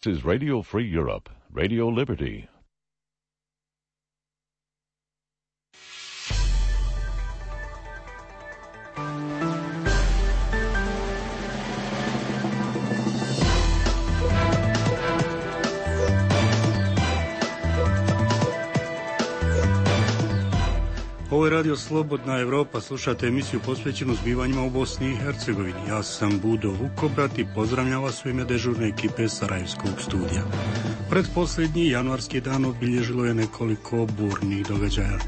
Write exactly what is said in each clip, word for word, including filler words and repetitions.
This is Radio Free Europe, Radio Liberty. Ovo je Radio Slobodna Evropa, slušate emisiju posvećenu zbivanjima u Bosni i Hercegovini. Ja sam Budo Vukobrat i pozdravljam vas u ime dežurne ekipe Sarajevskog studija. Pretposljednji januarski dan obilježilo je nekoliko burnih događaja.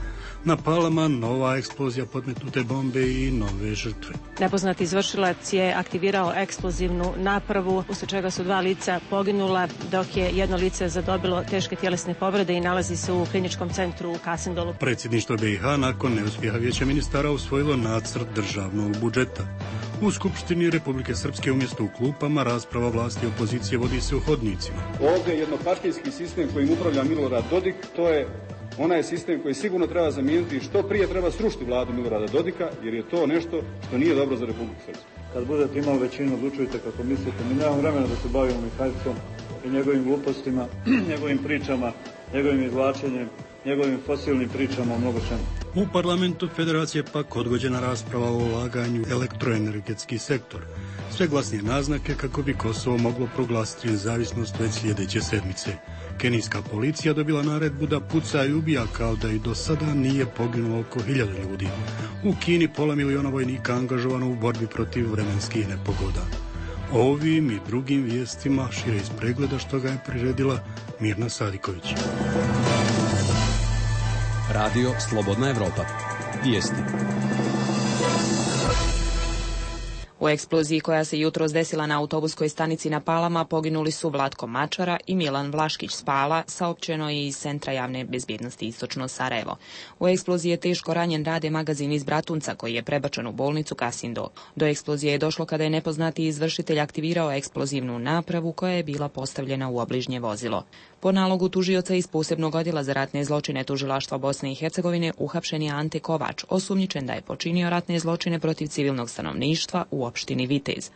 Na Palama nova eksplozija podmetnute bombe i nove žrtve. Nepoznati izvršilac je aktivirao eksplozivnu napravu, uslijed čega su dva lica poginula, dok je jedno lice zadobilo teške tjelesne povrede i nalazi se u kliničkom centru u Kasindolu. Predsjedništvo B i H nakon neuspjeha Vijeća ministara usvojilo nacrt državnog budžeta. U Skupštini Republike Srpske umjesto u klupama rasprava vlasti i opozicije vodi se u hodnicima. Ovdje jednopartijski sistem kojim upravlja Milorad Dodik, to je onaj sistem koji sigurno treba zamijeniti i što prije treba srušiti vladu Milorada Dodika, jer je to nešto što nije dobro za Republiku Srpsku. Kad budete imali većinu, odlučujte kako mislite. Mi nemamo vremena da se bavimo Mihajlom i njegovim glupostima, njegovim pričama, njegovim izvlačenjem, njegovim fosilnim pričama o mnogo čemu. U parlamentu Federacije pak odgođena rasprava o ulaganju u elektroenergetski sektor. Sve glasnije naznake kako bi Kosovo moglo proglasiti nezavisnost već sljedeće sedmice. Kenijska policija dobila naredbu da puca i ubija kao da i do sada nije poginulo oko hiljadu ljudi. U Kini pola miliona vojnika angažovano u borbi protiv vremenskih nepogoda. Ovim i drugim vijestima šire iz pregleda što ga je priredila Mirna Sadiković. Radio Slobodna Evropa. Vijesti. U eksploziji koja se jutros desila na autobuskoj stanici na Palama poginuli su Vlatko Mačara i Milan Vlaškić s Pala, saopćeno je iz Centra javne bezbjednosti Istočno Sarajevo. U eksploziji je teško ranjen Rade Magazin iz Bratunca koji je prebačen u bolnicu Kasindo. Do eksplozije je došlo kada je nepoznati izvršitelj aktivirao eksplozivnu napravu koja je bila postavljena u obližnje vozilo. Po nalogu tužioca iz posebnog odjela za ratne zločine Tužilaštva Bosne i Hercegovine uhapšen je Ante Kovač, osumnjičen da je počinio ratne zločine protiv civilnog stanovništva u opštini Vitez.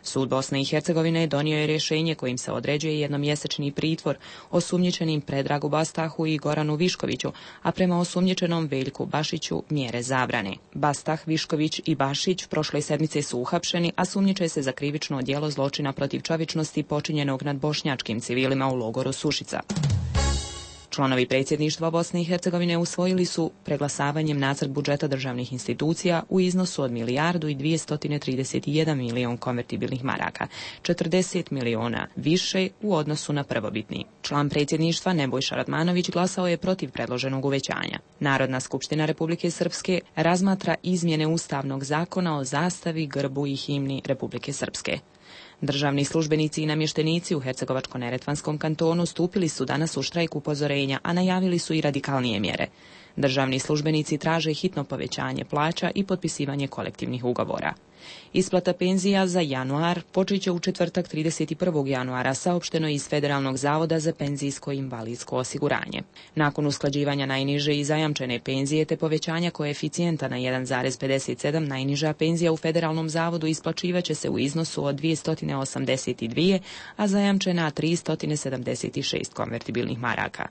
Sud Bosne i Hercegovine donio je rješenje kojim se određuje jednomjesečni pritvor osumnjičenim Predragu Bastahu i Goranu Viškoviću, a prema osumnjičenom Veljku Bašiću mjere zabrane. Bastah, Višković i Bašić prošle sedmice su uhapšeni, a sumnjiče se za krivično djelo zločina protiv čovječnosti počinjenog nad bošnjačkim civilima u logoru Sušica. Članovi predsjedništva Bosne i Hercegovine usvojili su preglasavanjem nacrt budžeta državnih institucija u iznosu od milijardu i dvjesto trideset jedan milion konvertibilnih maraka, četrdeset miliona više u odnosu na prvobitni. Član predsjedništva Nebojša Radmanović glasao je protiv predloženog uvećanja. Narodna skupština Republike Srpske razmatra izmjene Ustavnog zakona o zastavi, grbu i himni Republike Srpske. Državni službenici i namještenici u Hercegovačko-neretvanskom kantonu stupili su danas u štrajk upozorenja, a najavili su i radikalnije mjere. Državni službenici traže hitno povećanje plaća i potpisivanje kolektivnih ugovora. Isplata penzija za januar počet će u četvrtak trideset prvog januara, saopšteno iz Federalnog zavoda za penzijsko i invalidsko osiguranje. Nakon usklađivanja najniže i zajamčene penzije te povećanja koeficijenta na jedan zarez pedeset sedam, najniža penzija u Federalnom zavodu isplaćivaće se u iznosu od dvjesto osamdeset dva, a zajamčena tristo sedamdeset šest konvertibilnih maraka.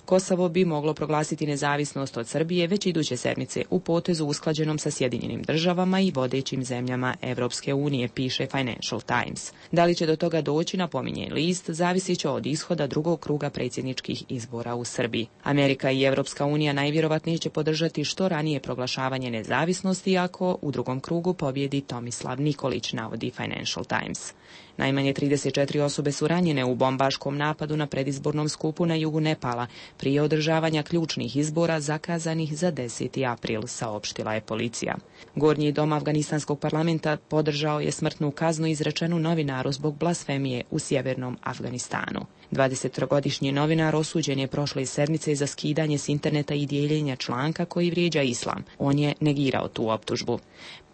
Kosovo bi moglo proglasiti nezavisnost od Srbije već iduće sedmice u potezu usklađenom sa Sjedinjenim državama i vodećim zemljama Evropske unije, piše Financial Times. Da li će do toga doći, napominje list, zavisit će od ishoda drugog kruga predsjedničkih izbora u Srbiji. Amerika i Evropska unija najvjerovatnije će podržati što ranije proglašavanje nezavisnosti ako u drugom krugu pobjedi Tomislav Nikolić, navodi Financial Times. Najmanje trideset četiri osobe su ranjene u bombaškom napadu na predizbornom skupu na jugu Nepala prije održavanja ključnih izbora zakazanih za deseti april, saopštila je policija. Gornji dom Afganistanskog parlamenta podržao je smrtnu kaznu izrečenu novinaru zbog blasfemije u sjevernom Afganistanu. dvadesettrogodišnji novinar osuđen je prošle sedmice za skidanje s interneta i dijeljenja članka koji vrijeđa islam. On je negirao tu optužbu.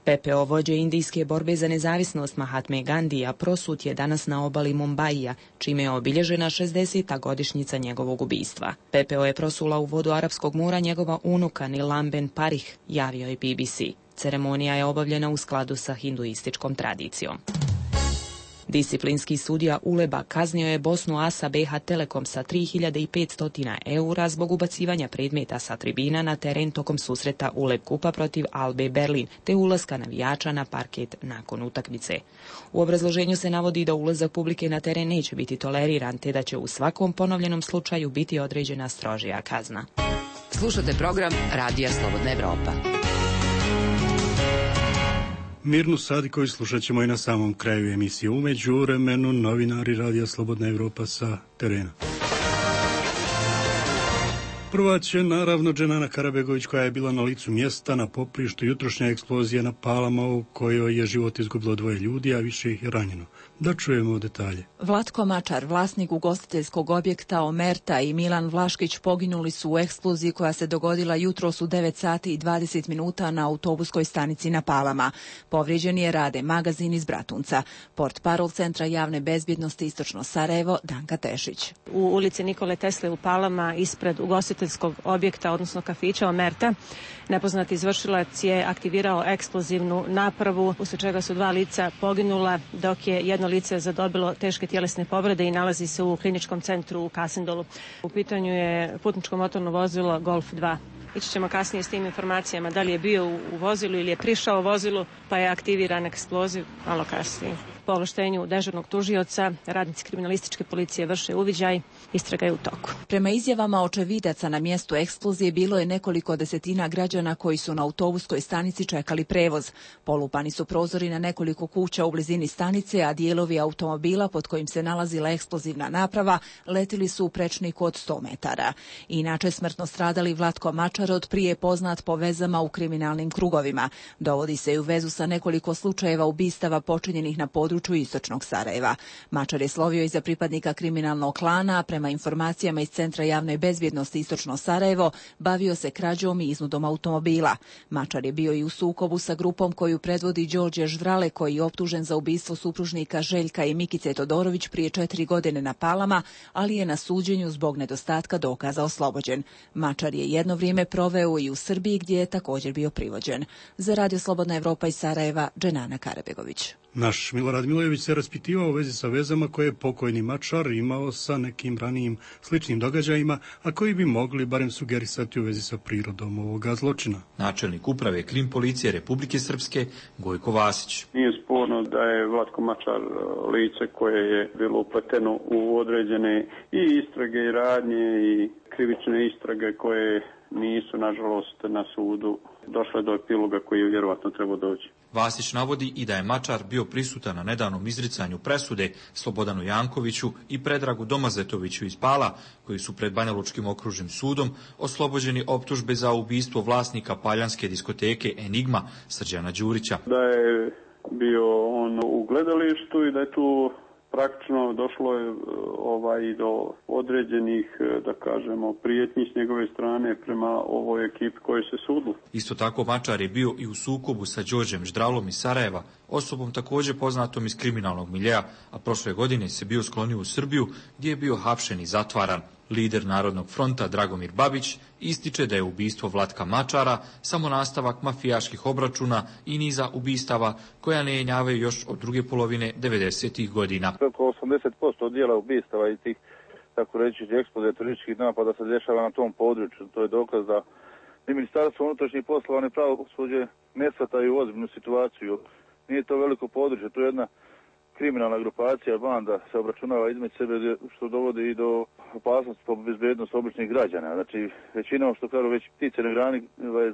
P P O vođe indijske borbe za nezavisnost Mahatme Gandija prosut je danas na obali Mumbaija, čime je obilježena šezdeseta godišnjica njegovog ubistva. P P O je prosula u vodu Arapskog mora njegova unuka Nilamben Parikh, javio je B B C. Ceremonija je obavljena u skladu sa hinduističkom tradicijom. Disciplinski sudija Uleba kaznio je Bosnu Asa B H Telekom sa tri hiljade petsto eura zbog ubacivanja predmeta sa tribina na teren tokom susreta Uleb Kupa protiv Albe Berlin, te ulaska navijača na parket nakon utakmice. U obrazloženju se navodi da ulazak publike na teren neće biti toleriran, te da će u svakom ponovljenom slučaju biti određena strožija kazna. Slušate program Radija Slobodna Evropa. Mirnu Sadikovi slušat ćemo i na samom kraju emisije. U međuvremenu novinari Radija Slobodna Evropa sa terena. Prva će naravno Dženana Karabegović, koja je bila na licu mjesta na poprištu jutrošnja eksplozija na Palama u kojoj je život izgubilo dvoje ljudi, a više ih je ranjeno. Da čujemo detalje. Vlatko Mačar, vlasnik ugostiteljskog objekta Omerta, i Milan Vlaškić poginuli su u eksploziji koja se dogodila jutros u devet sati i dvadeset minuta na autobuskoj stanici na Palama. Povrijeđen je Rade magazin iz Bratunca. Portparol Centra javne bezbjednosti Istočno Sarajevo, Danka Tešić. U ulici Nikole Tesle u Palama, ispred ugostiteljskog objekta, odnosno kafića Omerta, nepoznati izvršilac je aktivirao eksplozivnu napravu, usled čega su dva lica poginula, dok je jedno lice zadobilo teške tjelesne povrede i nalazi se u kliničkom centru u Kasendolu. U pitanju je putničko motorno vozilo Golf dva. Ići ćemo kasnije s tim informacijama da li je bio u vozilu ili je prišao u vozilu, pa je aktiviran eksploziv malo kasnije. Po ovlaštenju dežurnog tužioca, radnici kriminalističke policije vrše uviđaj, istraga je u toku. Prema izjavama očevidaca na mjestu eksplozije bilo je nekoliko desetina građana koji su na autobuskoj stanici čekali prevoz. Polupani su prozori na nekoliko kuća u blizini stanice, a dijelovi automobila pod kojim se nalazila eksplozivna naprava letili su u prečniku od sto metara. Inače smrtno stradali Vlatko Mačar, od prije poznat po vezama u kriminalnim krugovima. Dovodi se i u vezu sa nekoliko slučajeva ubistava počinjenih na području Istočnog Sarajeva. Mačar je slovio iza pripadnika kriminalnog klana, a prema informacijama iz Centra javne bezbjednosti Istočno Sarajevo bavio se krađom i iznudom automobila. Mačar je bio i u sukobu sa grupom koju predvodi Đorđe Ždrale, koji je optužen za ubistvo supružnika Željka i Mikice Todorović prije četiri godine na Palama, ali je na suđenju zbog nedostatka dokaza oslobođen. Mačar je jedno vrijeme proveo i u Srbiji, gdje je također bio privođen. Za Radio Slobodna Evropa iz Sarajeva, Dženana Karabegović. Naš Milorad Milojević se raspitivao u vezi sa vezama koje je pokojni Mačar imao sa nekim ranijim sličnim događajima, a koji bi mogli barem sugerisati u vezi sa prirodom ovoga zločina. Načelnik uprave Krim policije Republike Srpske Gojko Vasić. Nije sporno da je Vlatko Mačar lice koje je bilo upleteno u određene i istrage i radnje i krivične istrage koje nisu, nažalost, na sudu došle do epiloga koji je vjerovatno trebao doći. Vasić navodi i da je Mačar bio prisutan na nedavnom izricanju presude Slobodanu Jankoviću i Predragu Domazetoviću iz Pala, koji su pred Banjalučkim okružnim sudom oslobođeni optužbe za ubistvo vlasnika paljanske diskoteke Enigma Srđana Đurića. Da je bio on u gledalištu i da je tu praktično došlo je ovaj do određenih, da kažemo, prijetnji s njegove strane prema ovoj ekipi koji se sudu. Isto tako Mačar je bio i u sukobu sa Đorđem Ždralom iz Sarajeva, osobom također poznatom iz kriminalnog miljeja, a prošle godine se bio sklonio u Srbiju, gdje je bio hapšen i zatvaran. Lider Narodnog fronta Dragomir Babić ističe da je ubistvo Vlatka Mačara samo nastavak mafijaških obračuna i niza ubistava koja ne jenjavaju još od druge polovine devedesetih godina. Preko osamdeset posto dijela ubistava i tih, tako reći, eksplozija terorističkih napada se dešava na tom području. To je dokaz da i Ministarstvo unutrašnjih poslova i pravosuđe ne shvataju ozbiljnu situaciju. Nije to veliko područje, to je jedna kriminalna grupacija, banda se obračunava između sebe, što dovodi i do opasnosti po bezbednost običnih građana. Znači, većinom, što kažu, već ptice na grani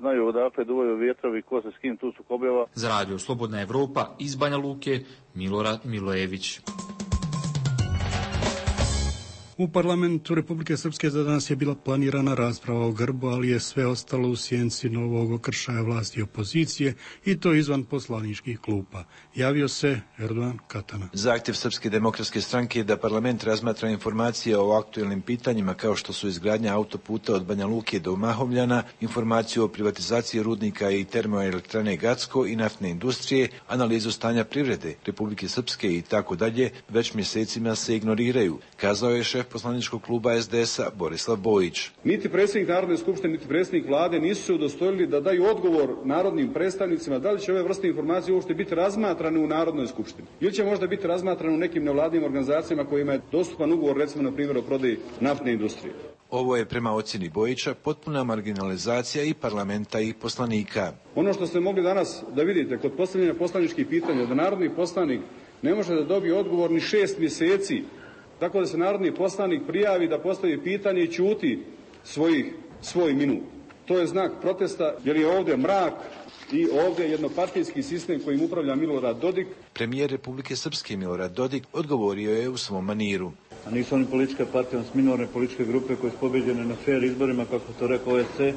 znaju odakle duvaju vjetrovi, ko se s kim tu sukobljava. Za Radio Slobodna Evropa iz Banja Luke, Milorad Milojević. U parlamentu Republike Srpske za danas je bila planirana rasprava o grbu, ali je sve ostalo u sjenci novog okršaja vlasti i opozicije, i to izvan poslaničkih klupa. Javio se Erdogan Katana. Zahtjev Srpske demokratske stranke je da parlament razmatra informacije o aktuelnim pitanjima kao što su izgradnja autoputa od Banja Luke do Mahovljana, informaciju o privatizaciji rudnika i termoelektrane Gacko i naftne industrije, analizu stanja privrede Republike Srpske i tako dalje, već mjesecima se ignoriraju, kazao je šef šef poslaničkog kluba es de es a Borislav Bojić. Niti predsjednik Narodne skupštine, niti predsjednik vlade nisu se udostojili da daju odgovor narodnim predstavnicima da li će ove vrste informacije uopšte biti razmatrane u Narodnoj skupštini ili će možda biti razmatrane u nekim nevladinim organizacijama kojima je dostupan ugovor, recimo na primjer o prodaji naftne industrije. Ovo je prema ocjeni Bojića potpuna marginalizacija i parlamenta i poslanika. Ono što ste mogli danas da vidite kod postavljanja poslaničkih pitanja, da narodni poslanik ne može da dobije odgovor ni šest mjeseci, tako da se narodni poslanik prijavi da postavi pitanje i ćuti svojih, svoj minut. To je znak protesta jer je ovdje mrak i ovdje jednopartijski sistem kojim upravlja Milorad Dodik. Premijer Republike Srpske Milorad Dodik odgovorio je u svom maniru. A nisu oni političke partije, oni su minorne političke grupe koje su pobeđene na fair izborima, kako to rekao o es ce.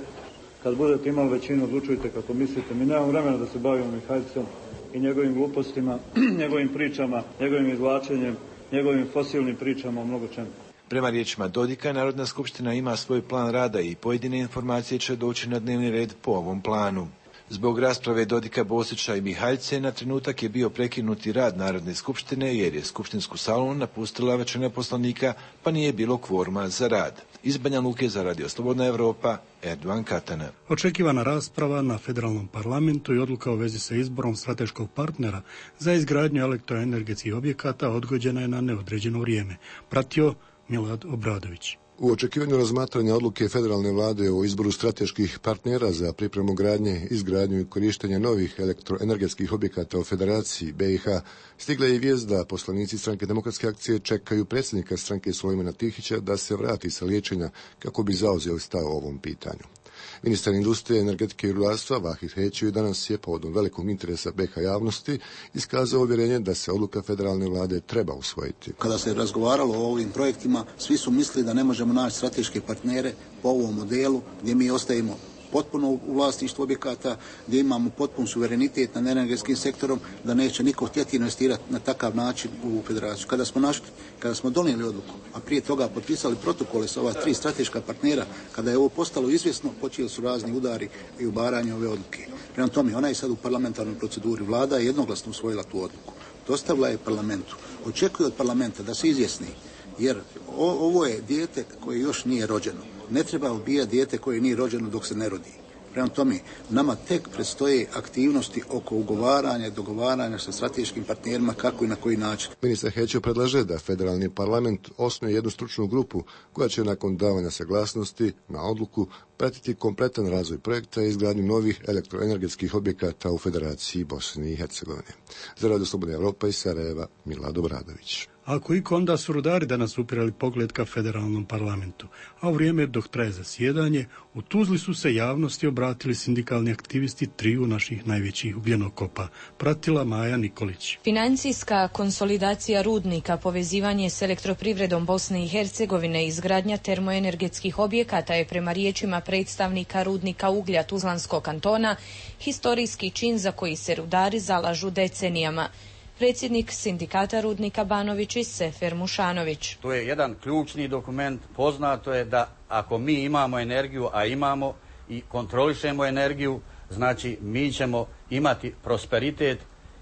Kad budete imali većinu, odlučujte kako mislite. Mi nemamo vremena da se bavimo Mihaljcom i njegovim glupostima, njegovim pričama, njegovim izvlačenjem, njegovim fosilnim pričama o mnogo čemu. Prema riječima Dodika, Narodna skupština ima svoj plan rada i pojedine informacije će doći na dnevni red po ovom planu. Zbog rasprave Dodika, Bosića i Mihaljce na trenutak je bio prekinuti rad Narodne skupštine jer je skupštinsku salu napustila većina poslanika pa nije bilo kvoruma za rad. Iz Banja Luke za Radio Slobodna Evropa, Erdovan Katana. Očekivana rasprava na federalnom parlamentu i odluka u vezi sa izborom strateškog partnera za izgradnju elektroenergetskih objekata odgođena je na neodređeno vrijeme. Pratio Milad Obradović. U očekivanju razmatranja odluke federalne vlade o izboru strateških partnera za pripremu gradnje, izgradnju i korištenja novih elektroenergetskih objekata u Federaciji be i ha, stigla je i vijest da poslanici Stranke demokratske akcije čekaju predsjednika stranke Sulejmana Tihića da se vrati sa liječenja kako bi zauzeo stav o ovom pitanju. Ministar industrije, energetike i rudarstva Vahid Hećevi danas je povodom velikog interesa be i ha javnosti iskazao uvjerenje da se odluka federalne vlade treba usvojiti. Kada se razgovaralo o ovim projektima, svi su mislili da ne možemo naći strateške partnere po ovom modelu gdje mi ostajemo potpuno u vlasništvu objekata, gdje imamo potpun suverenitet nad energetskim sektorom, da neće niko htjeti investirati na takav način u federaciju. Kada smo našli, kada smo donijeli odluku, a prije toga potpisali protokole sa ova tri strateška partnera, kada je ovo postalo izvjesno, počeli su razni udari i ubaranje ove odluke. Prema tome, ona je sad u parlamentarnoj proceduri. Vlada je jednoglasno usvojila tu odluku. Dostavila je parlamentu. Očekuje od parlamenta da se izjasni, jer o, ovo je dijete koje još nije rođeno. Ne treba ubijati dijete koje nije rođeno dok se ne rodi. Prema tome, nama tek predstoje aktivnosti oko ugovaranja i dogovaranja sa strateškim partnerima kako i na koji način. Ministar Hećev predlaže da federalni parlament osnuje jednu stručnu grupu koja će nakon davanja saglasnosti na odluku pratiti kompletan razvoj projekta i izgradnju novih elektroenergetskih objekata u Federaciji Bosne i Hercegovine. Za Radio Slobodna Evropa iz Sarajeva, Milad Obradović. Ako iko, onda su rudari danas upirali pogled ka federalnom parlamentu, a u vrijeme dok traje zasjedanje, u Tuzli su se javnosti obratili sindikalni aktivisti triju naših najvećih ugljenokopa. Pratila Maja Nikolić. Financijska konsolidacija rudnika, povezivanje s elektroprivredom Bosne i Hercegovine i izgradnja termoenergetskih objekata je prema riječima predstavnika rudnika uglja Tuzlanskog kantona historijski čin za koji se rudari zalažu decenijama. Predsjednik sindikata rudnika Banovići Sefer Mušanović. To je jedan ključni dokument. Poznato je da ako mi imamo energiju, a imamo i kontrolišemo energiju, znači mi ćemo imati prosperitet,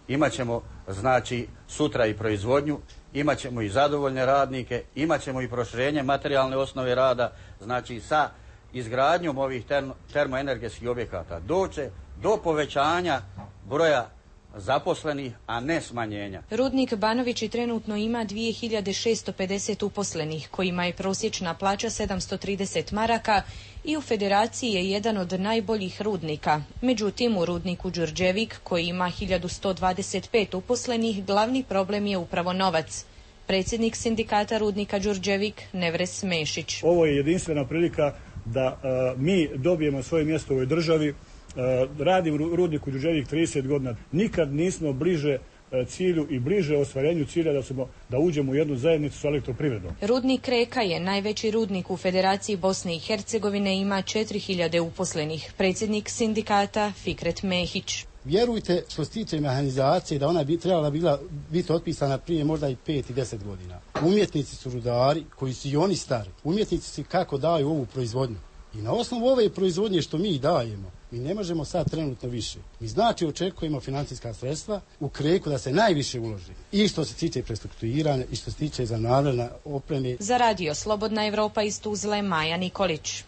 imat ćemo znači sutra i proizvodnju, imat ćemo i zadovoljne radnike, imat ćemo i proširenje materijalne osnove rada, znači sa izgradnjom ovih termo, termoenergetskih objekata doće do povećanja broja zaposlenih, a ne smanjenja. Rudnik Banovići trenutno ima dvije hiljade šesto pedeset uposlenih, kojima je prosječna plaća sedamsto trideset maraka i u federaciji je jedan od najboljih rudnika. Međutim, u rudniku Đurđevik, koji ima hiljadu sto dvadeset pet uposlenih, glavni problem je upravo novac. Predsjednik sindikata rudnika Đurđevik Nevres Mešić. Ovo je jedinstvena prilika da uh, mi dobijemo svoje mjesto u ovoj državi. Uh, radim u rudniku Đurđevik trideset godina. Nikad nismo bliže uh, cilju i bliže ostvarenju cilja da, smo, da uđemo u jednu zajednicu s elektroprivredom. Rudnik Reka je najveći rudnik u Federaciji Bosne i Hercegovine, ima četiri hiljade uposlenih. Predsjednik sindikata Fikret Mehić. Vjerujte, što se tiče mehanizacije, da ona bi trebala bila biti otpisana prije možda i pet i deset godina. Umjetnici su rudari koji su i oni stari. Umjetnici su kako daju ovu proizvodnju. I na osnovu ove proizvodnje što mi dajemo, Mi ne možemo sad trenutno više. Mi znači očekujemo financijska sredstva u Kreku da se najviše uloži. I što se tiče prestrukturiranja i što se tiče za navredna opreme. Za radio Slobodna Evropa iz Tuzle, Maja Nikolić.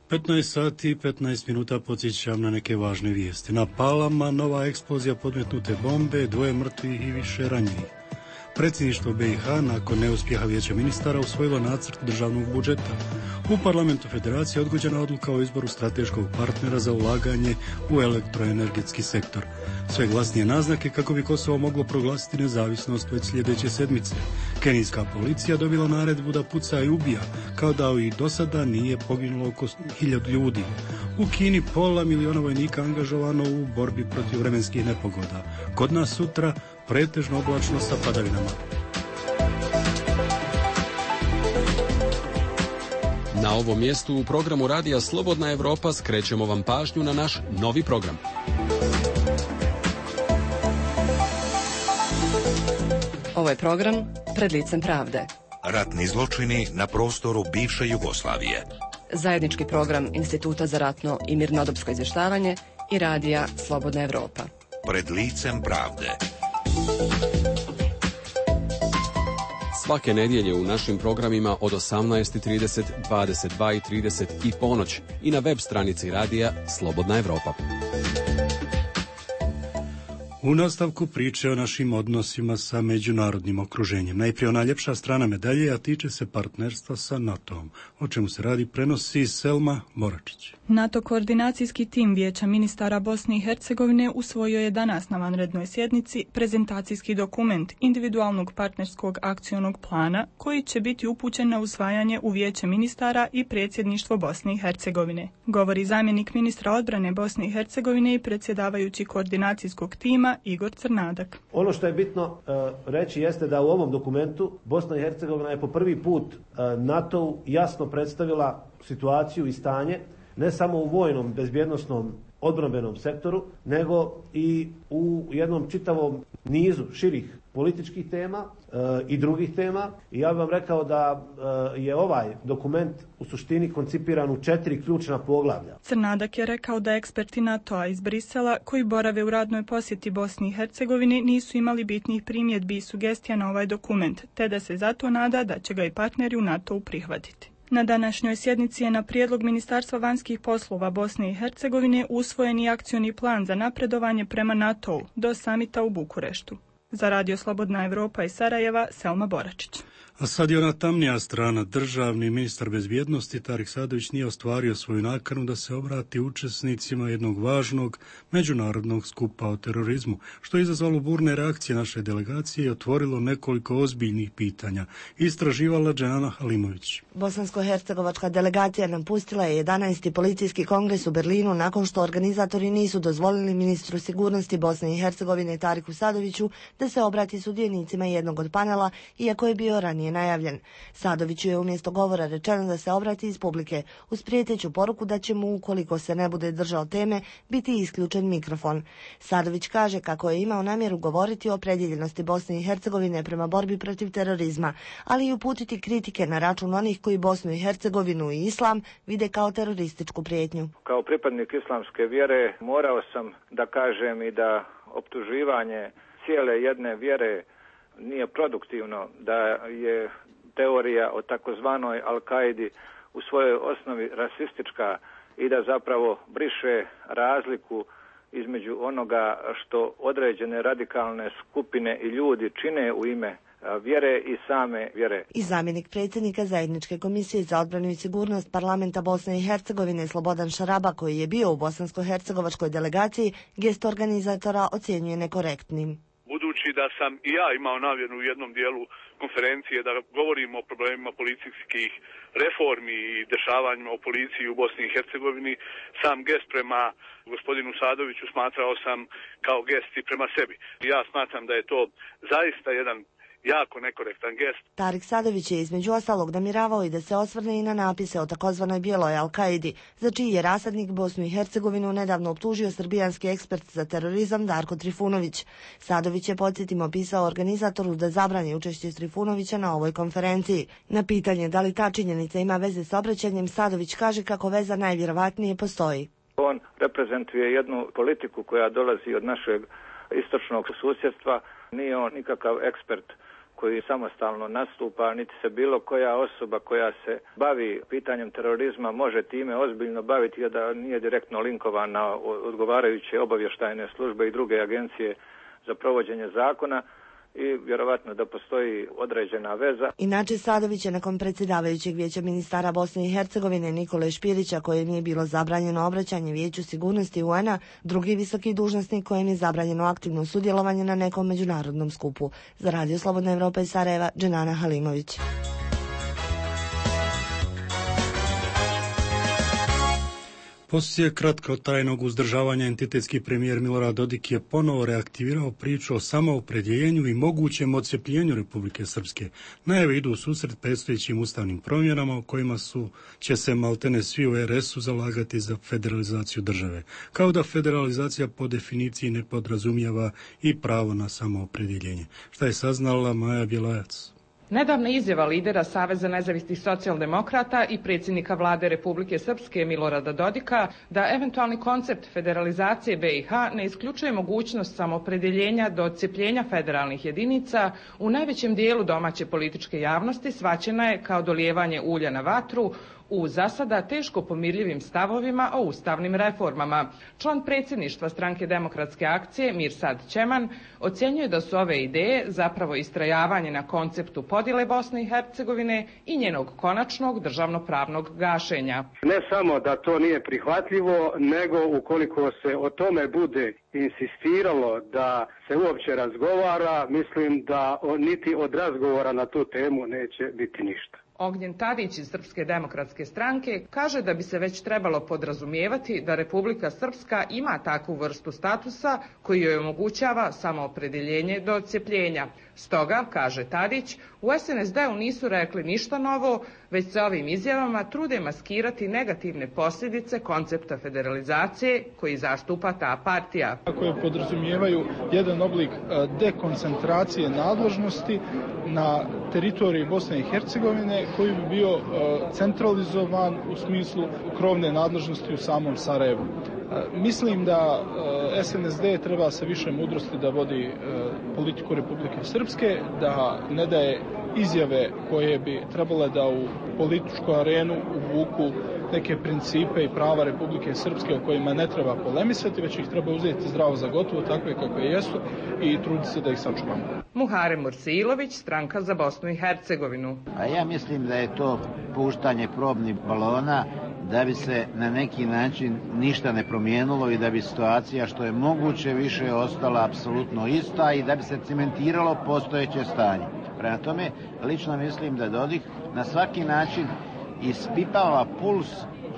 petnaest sati i petnaest minuta podsjećam na neke važne vijesti. Na Palama nova eksplozija podmetnute bombe, dvoje mrtvih i više ranjenih. Predsjedništvo B i H nakon neuspjeha vijeća ministara usvojilo nacrt državnog budžeta. U parlamentu federacije odgođena odluka o izboru strateškog partnera za ulaganje u elektroenergetski sektor. Sve glasnije naznake kako bi Kosovo moglo proglasiti nezavisnost već sljedeće sedmice. Kenijska policija dobila naredbu da puca i ubija, kao da i do sada nije poginulo oko hiljadu ljudi. U Kini pola miliona vojnika angažovano u borbi protiv vremenskih nepogoda. Kod nas sutra pretežno oblačno sa padavinama. Na ovom mjestu u programu Radija Slobodna Evropa skrećemo vam pažnju na naš novi program. Ovo je program Pred licem pravde. Ratni zločini na prostoru bivše Jugoslavije. Zajednički program Instituta za ratno i mirnodopsko izvještavanje i Radija Slobodna Evropa. Pred licem pravde. Svake nedjelje u našim programima od osamnaest i trideset, dvadeset dva i trideset i ponoć i na web stranici Radija Slobodna Evropa. U nastavku priče o našim odnosima sa međunarodnim okruženjem. Najprije ona ljepša strana medalje, a tiče se partnerstva sa NATO-om. O čemu se radi prenosi Selma Boračić. NATO koordinacijski tim Vijeća ministara Bosne i Hercegovine usvojio je danas na vanrednoj sjednici prezentacijski dokument individualnog partnerskog akcionog plana koji će biti upućen na usvajanje u Vijeće ministara i predsjedništvo Bosne i Hercegovine. Govori zamjenik ministra odbrane Bosne i Hercegovine i predsjedavajući koordinacijskog tima Igor Crnadak. Ono što je bitno uh, reći jeste da u ovom dokumentu Bosna i Hercegovina je po prvi put uh, NATO jasno predstavila situaciju i stanje ne samo u vojnom, bezbjednosnom, odbrambenom sektoru, nego i u jednom čitavom nizu širih političkih tema e, i drugih tema. I ja bih vam rekao da e, je ovaj dokument u suštini koncipiran u četiri ključna poglavlja. Crnadak je rekao da eksperti NATO-a iz Brisela koji borave u radnoj posjeti Bosni i Hercegovini nisu imali bitnih primjedbi i sugestija na ovaj dokument, te da se zato nada da će ga i partneri u NATO-u prihvatiti. Na današnjoj sjednici je na prijedlog Ministarstva vanjskih poslova Bosne i Hercegovine usvojen i akcioni plan za napredovanje prema NATO-u do samita u Bukureštu. Za Radio Slobodna Evropa iz Sarajeva, Selma Boračić. A sad je ona tamnija strana. Državni ministar bezbjednosti Tarik Sadović nije ostvario svoju nakanu da se obrati učesnicima jednog važnog međunarodnog skupa o terorizmu, što je izazvalo burne reakcije naše delegacije i otvorilo nekoliko ozbiljnih pitanja. Istraživala Dženana Halimović. Bosansko-hercegovačka delegacija napustila je jedanaesti policijski kongres u Berlinu nakon što organizatori nisu dozvolili ministru sigurnosti Bosne i Hercegovine Tariku Sadoviću da se obrati sudionicima jednog od panela, iako je bio ranije najavljen. Sadoviću je umjesto govora rečeno da se obrati iz publike uz prijeteću poruku da će mu, ukoliko se ne bude držao teme, biti isključen mikrofon. Sadović kaže kako je imao namjeru govoriti o opredjeljenosti Bosne i Hercegovine prema borbi protiv terorizma, ali i uputiti kritike na račun onih koji Bosnu i Hercegovinu i islam vide kao terorističku prijetnju. Kao pripadnik islamske vjere morao sam da kažem i da optuživanje cijele jedne vjere nije produktivno, da je teorija o takozvanoj Al-Kaidi u svojoj osnovi rasistička i da zapravo briše razliku između onoga što određene radikalne skupine i ljudi čine u ime vjere i same vjere. I zamjenik predsjednika Zajedničke komisije za odbranu i sigurnost parlamenta Bosne i Hercegovine Slobodan Šaraba, koji je bio u bosansko-hercegovačkoj delegaciji, gest organizatora ocjenjuje nekorektnim. Budući da sam i ja imao namjeru u jednom dijelu konferencije da govorimo o problemima policijskih reformi i dešavanjima u policiji u Bosni i Hercegovini, sam gest prema gospodinu Sadoviću smatrao sam kao gest i prema sebi. Ja smatram da je to zaista jedan jako nekorektan gest. Tarik Sadović je između ostalog namjeravao i da se osvrne i na napise o takozvanoj bijeloj Al-Kaidi, za čiji je rasadnik Bosnu i Hercegovinu nedavno optužio srbijanski ekspert za terorizam Darko Trifunović. Sadović je, podsjetimo, pisao organizatoru da zabrani učešće Trifunovića na ovoj konferenciji. Na pitanje da li ta činjenica ima veze s obraćanjem, Sadović kaže kako veza najvjerovatnije postoji. On reprezentuje jednu politiku koja dolazi od našeg istočnog susjedstva. Nije on nikakav ekspert koji samostalno nastupa, niti se bilo koja osoba koja se bavi pitanjem terorizma može time ozbiljno baviti, a da nije direktno linkovan na odgovarajuće obavještajne službe i druge agencije za provođenje zakona i vjerovatno da postoji određena veza. Inače, Sadović je nakon predsjedavajućeg vijeća ministara Bosne i Hercegovine Nikole Špirića, kojem je bilo zabranjeno obraćanje Vijeću sigurnosti U N-a, drugi visoki dužnosnik kojem je zabranjeno aktivno sudjelovanje na nekom međunarodnom skupu. Za Radio Slobodna Evropa iz Sarajeva, Dženana Halimović. Poslije kratkotrajnog uzdržavanja entitetski premijer Milorad Dodik je ponovo reaktivirao priču o samoopredjeljenju i mogućem odcepljenju Republike Srpske. Najave idu u susret predstojećim ustavnim promjenama u kojima su, će se maltene svi u R S-u zalagati za federalizaciju države. Kao da federalizacija po definiciji ne podrazumijeva i pravo na samoopredjeljenje. Šta je saznala Maja Bjelajac? Nedavna izjava lidera Saveza nezavisnih socijaldemokrata i predsjednika vlade Republike Srpske Milorada Dodika da eventualni koncept federalizacije B i H ne isključuje mogućnost samoopredjeljenja do odcepljenja federalnih jedinica u najvećem dijelu domaće političke javnosti shvaćena je kao dolijevanje ulja na vatru u zasada teško pomirljivim stavovima o ustavnim reformama. Član predsjedništva Stranke demokratske akcije Mirsad Ćeman ocjenjuje da su ove ideje zapravo istrajavanje na konceptu podjele Bosne i Hercegovine i njenog konačnog državnopravnog gašenja. Ne samo da to nije prihvatljivo, nego ukoliko se o tome bude insistiralo da se uopće razgovara, mislim da niti od razgovora na tu temu neće biti ništa. Ognjen Tadić iz Srpske demokratske stranke kaže da bi se već trebalo podrazumijevati da Republika Srpska ima takvu vrstu statusa koji joj omogućava samoopredjeljenje do odcepljenja. Stoga, kaže Tadić, u S N S D-u nisu rekli ništa novo, već se ovim izjavama trude maskirati negativne posljedice koncepta federalizacije koji zastupa ta partija. Koje podrazumijevaju jedan oblik dekoncentracije nadležnosti na teritoriji Bosne i Hercegovine koji bi bio centralizovan u smislu krovne nadležnosti u samom Sarajevu. Mislim da S N S D treba sa više mudrosti da vodi politiku Republike Srpske, da ne daje izjave koje bi trebale da u političku arenu uvuku neke principe i prava Republike Srpske o kojima ne treba polemisati, već ih treba uzeti zdravo za gotovo, takve kakve jesu i truditi se da ih sačuvamo. Muharem Mursilović, Stranka za Bosnu i Hercegovinu. A ja mislim da je to puštanje probnih balona da bi se na neki način ništa ne promijenilo i da bi situacija što je moguće više ostala apsolutno ista i da bi se cementiralo postojeće stanje. Prema tome, lično mislim da Dodik na svaki način ispipava puls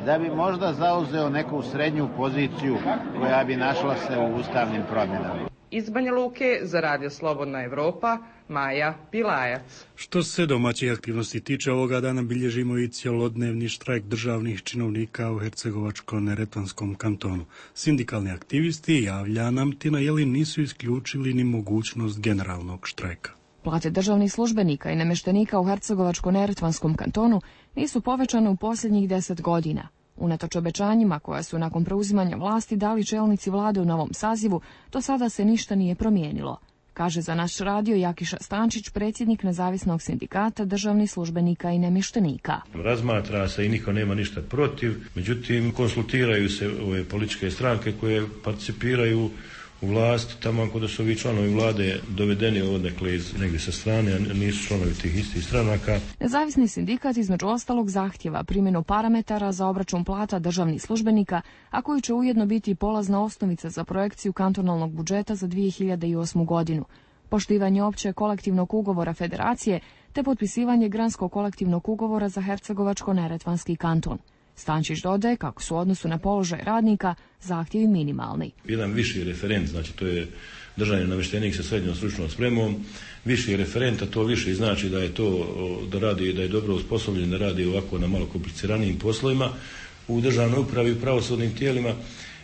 da bi možda zauzeo neku srednju poziciju koja bi našla se u ustavnim promjenama. Iz Banja Luke za Radio Slobodna Evropa, Maja Pilajac. Što se domaćih aktivnosti tiče, ovoga dana bilježimo i cjelodnevni štrajk državnih činovnika u Hercegovačko-neretvanskom kantonu. Sindikalni aktivisti, javlja nam Tina Jelin, nisu isključili ni mogućnost generalnog štrajka. Plate državnih službenika i namještenika u Hercegovačko-neretvanskom kantonu nisu povećane u posljednjih deset godina. Unatoč obećanjima koja su nakon preuzimanja vlasti dali čelnici vlade u novom sazivu, do sada se ništa nije promijenilo, kaže za naš radio Jakiša Stančić, predsjednik nezavisnog sindikata državnih službenika i namještenika. Razmatra se i niko nema ništa protiv, međutim konsultiraju se ove političke stranke koje participiraju u vlast, tamo kod su ovi članovi vlade dovedeni odnekle iz negdje sa strane, a nisu članovi tih istih stranaka. Nezavisni sindikat između ostalog zahtjeva primjenu parametara za obračun plata državnih službenika, a koji će ujedno biti polazna osnovica za projekciju kantonalnog budžeta za dvije hiljade osmu godinu, poštivanje opće kolektivnog ugovora federacije te potpisivanje granskog kolektivnog ugovora za Hercegovačko-neretvanski kanton. Stančić dodaje kako su u odnosu na položaj radnika zahtjevi minimalni. Jedan viši referent, znači to je državni namještenik sa srednjom stručnom spremom, viši referent, a to više znači da je to, da radi, da je dobro osposobljen, da radi ovako na malo kompliciranijim poslovima u državnoj upravi i pravosudnim tijelima,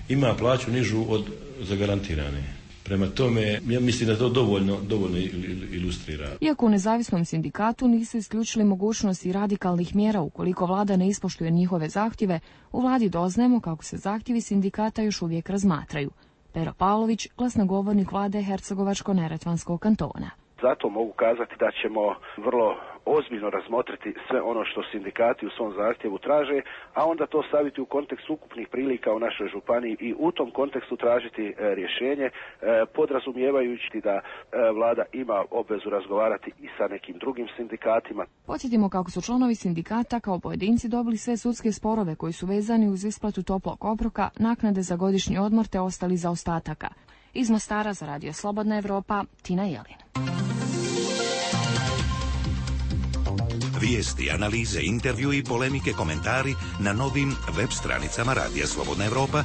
ima plaću nižu od zagarantirane. Prema tome, ja mislim da to dovoljno, dovoljno ilustrira. Iako u nezavisnom sindikatu nisu isključili mogućnosti radikalnih mjera ukoliko vlada ne ispoštuje njihove zahtjeve, u vladi doznajemo kako se zahtjevi sindikata još uvijek razmatraju. Pero Pavlović, glasnogovornik vlade Hercegovačko-neretvanskog kantona. Zato mogu kazati da ćemo vrlo ozbiljno razmotriti sve ono što sindikati u svom zahtjevu traže, a onda to staviti u kontekst ukupnih prilika u našoj županiji i u tom kontekstu tražiti e, rješenje, e, podrazumijevajući da e, vlada ima obvezu razgovarati i sa nekim drugim sindikatima. Podsjetimo kako su članovi sindikata kao pojedinci dobili sve sudske sporove koji su vezani uz isplatu toplog obroka, naknade za godišnji odmor te ostali zaostataka. Iz Mostara za Radio Slobodna Evropa, Tina Jelin. Vijesti, analize, intervju i polemike, komentari na novim web stranicama Radija Slobodna Evropa,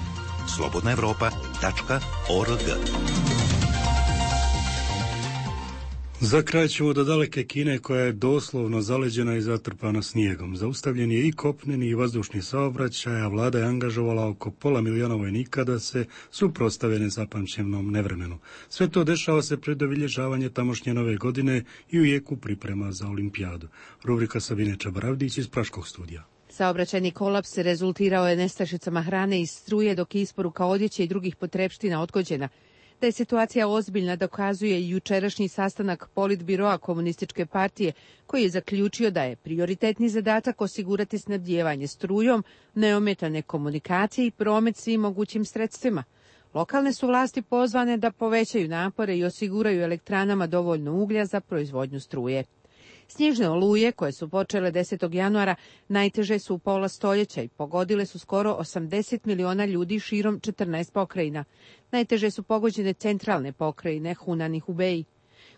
slobodna evropa tačka org. Za kraj ćemo do daleke Kine koja je doslovno zaleđena i zatrpana snijegom. Zaustavljen je i kopneni i vazdušni saobraćaj, a vlada je angažovala oko pola miliona vojnika da se suprotstave nezapamćenom nevremenu. Sve to dešava se pred obilježavanje tamošnje nove godine i u jeku priprema za olimpijadu. Rubrika Sabine Čabaravdić iz Praškog studija. Saobraćajni kolaps rezultirao je nestašicama hrane i struje, dok je isporuka odjeće i drugih potrepština odgođena. Da je situacija ozbiljna dokazuje i jučerašnji sastanak Politbiroa Komunističke partije, koji je zaključio da je prioritetni zadatak osigurati snabdijevanje strujom, neometane komunikacije i promet svim mogućim sredstvima. Lokalne su vlasti pozvane da povećaju napore i osiguraju elektranama dovoljno uglja za proizvodnju struje. Snježne oluje, koje su počele desetog januara, najteže su u pola stoljeća i pogodile su skoro osamdeset miliona ljudi širom četrnaest pokrajina. Najteže su pogođene centralne pokrajine, Hunan i Hubei.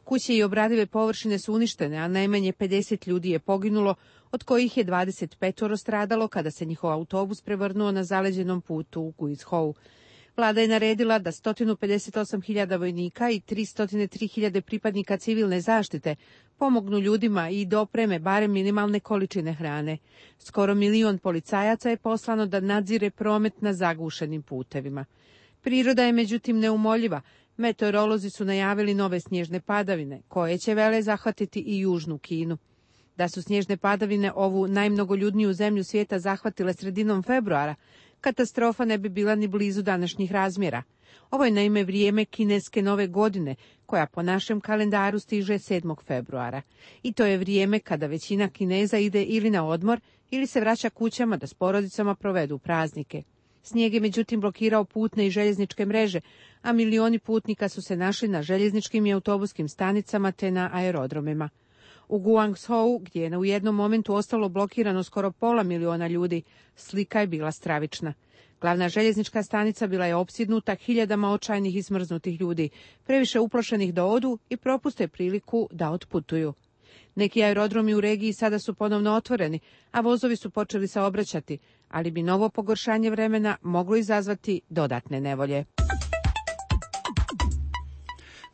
Kuće i obradive površine su uništene, a najmanje pedeset ljudi je poginulo, od kojih je dvadeset pet stradalo kada se njihov autobus prevrnuo na zaleđenom putu u Guizhou. Vlada je naredila da sto pedeset osam hiljada vojnika i tristo tri hiljade pripadnika civilne zaštite pomognu ljudima i dopreme barem minimalne količine hrane. Skoro milion policajaca je poslano da nadzire promet na zagušenim putevima. Priroda je međutim neumoljiva. Meteorolozi su najavili nove snježne padavine, koje će vele zahvatiti i južnu Kinu. Da su snježne padavine ovu najmnogoljudniju zemlju svijeta zahvatile sredinom februara, katastrofa ne bi bila ni blizu današnjih razmjera. Ovo je naime vrijeme kineske nove godine, koja po našem kalendaru stiže sedmog februara. I to je vrijeme kada većina Kineza ide ili na odmor ili se vraća kućama da s porodicama provedu praznike. Snijeg je međutim blokirao putne i željezničke mreže, a milioni putnika su se našli na željezničkim i autobuskim stanicama te na aerodromima. U Guangzhou, gdje je u jednom momentu ostalo blokirano skoro pola miliona ljudi, slika je bila stravična. Glavna željeznička stanica bila je opsjednuta hiljadama očajnih i smrznutih ljudi, previše uplašenih da odu i propuste priliku da otputuju. Neki aerodromi u regiji sada su ponovno otvoreni, a vozovi su počeli saobraćati, ali bi novo pogoršanje vremena moglo izazvati dodatne nevolje.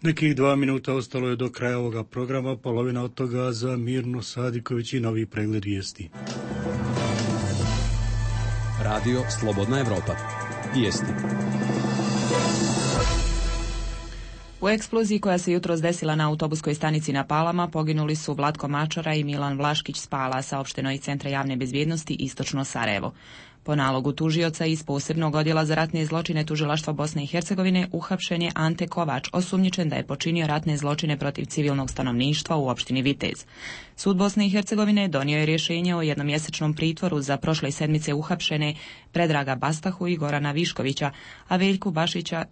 Nekih dva minuta ostalo je do kraja ovoga programa, polovina od toga za Mirnu Sadiković i novi pregled vijesti. Radio Slobodna Evropa. Vijesti. U eksploziji koja se jutros desila na autobuskoj stanici na Palama poginuli su Vlatko Mačara i Milan Vlaškić s Pala, saopšteno iz Centra javne bezbjednosti Istočno Sarajevo. Po nalogu tužioca iz posebnog odjela za ratne zločine Tužilaštva Bosne i Hercegovine uhapšen je Ante Kovač, osumnjičen da je počinio ratne zločine protiv civilnog stanovništva u opštini Vitez. Sud Bosne i Hercegovine donio je rješenje o jednomjesečnom pritvoru za prošle sedmice uhapšene Predraga Bastahu i Gorana Viškovića, a Veljku Bašića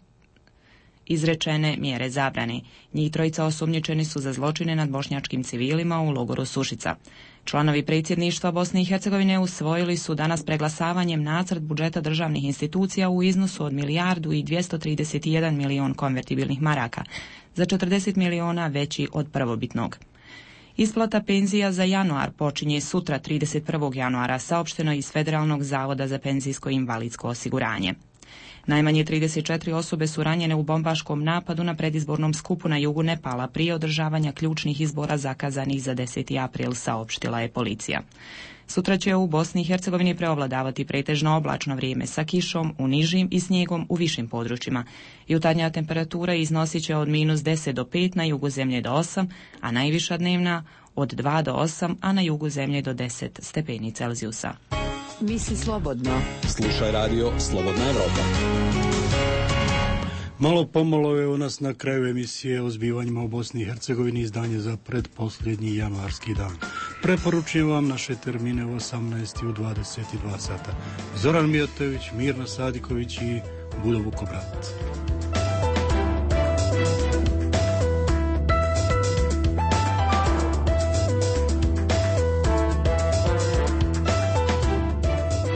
izrečene mjere zabrane. Njih trojica osumnjičeni su za zločine nad bošnjačkim civilima u logoru Sušica. Članovi predsjedništva Bosne i Hercegovine usvojili su danas preglasavanjem nacrt budžeta državnih institucija u iznosu od milijardu i dvjesto trideset jedan milion konvertibilnih maraka, za četrdeset miliona veći od prvobitnog. Isplata penzija za januar počinje sutra trideset prvog januara, saopšteno iz Federalnog zavoda za penzijsko i invalidsko osiguranje. Najmanje trideset četiri osobe su ranjene u bombaškom napadu na predizbornom skupu na jugu Nepala prije održavanja ključnih izbora zakazanih za deseti april, saopštila je policija. Sutra će u Bosni i Hercegovini preovladavati pretežno oblačno vrijeme sa kišom u nižim i snijegom u višim područjima. Jutarnja temperatura iznosit će od minus deset do pet, na jugu zemlje do osam, a najviša dnevna od dva do osam, a na jugu zemlje do deset stepeni Celzijusa. Misli slobodno. Slušaj radio Slobodna Evropa. Malo pomalo je u nas na kraju emisije o zbivanjima u Bosni i Hercegovini, izdanje za predposljednji januarski dan. Preporučujem vam naše termine u osamnaest i u dvadeset dva sata. Zoran Mijatović, Mirna Sadiković i Budo Vukobrat.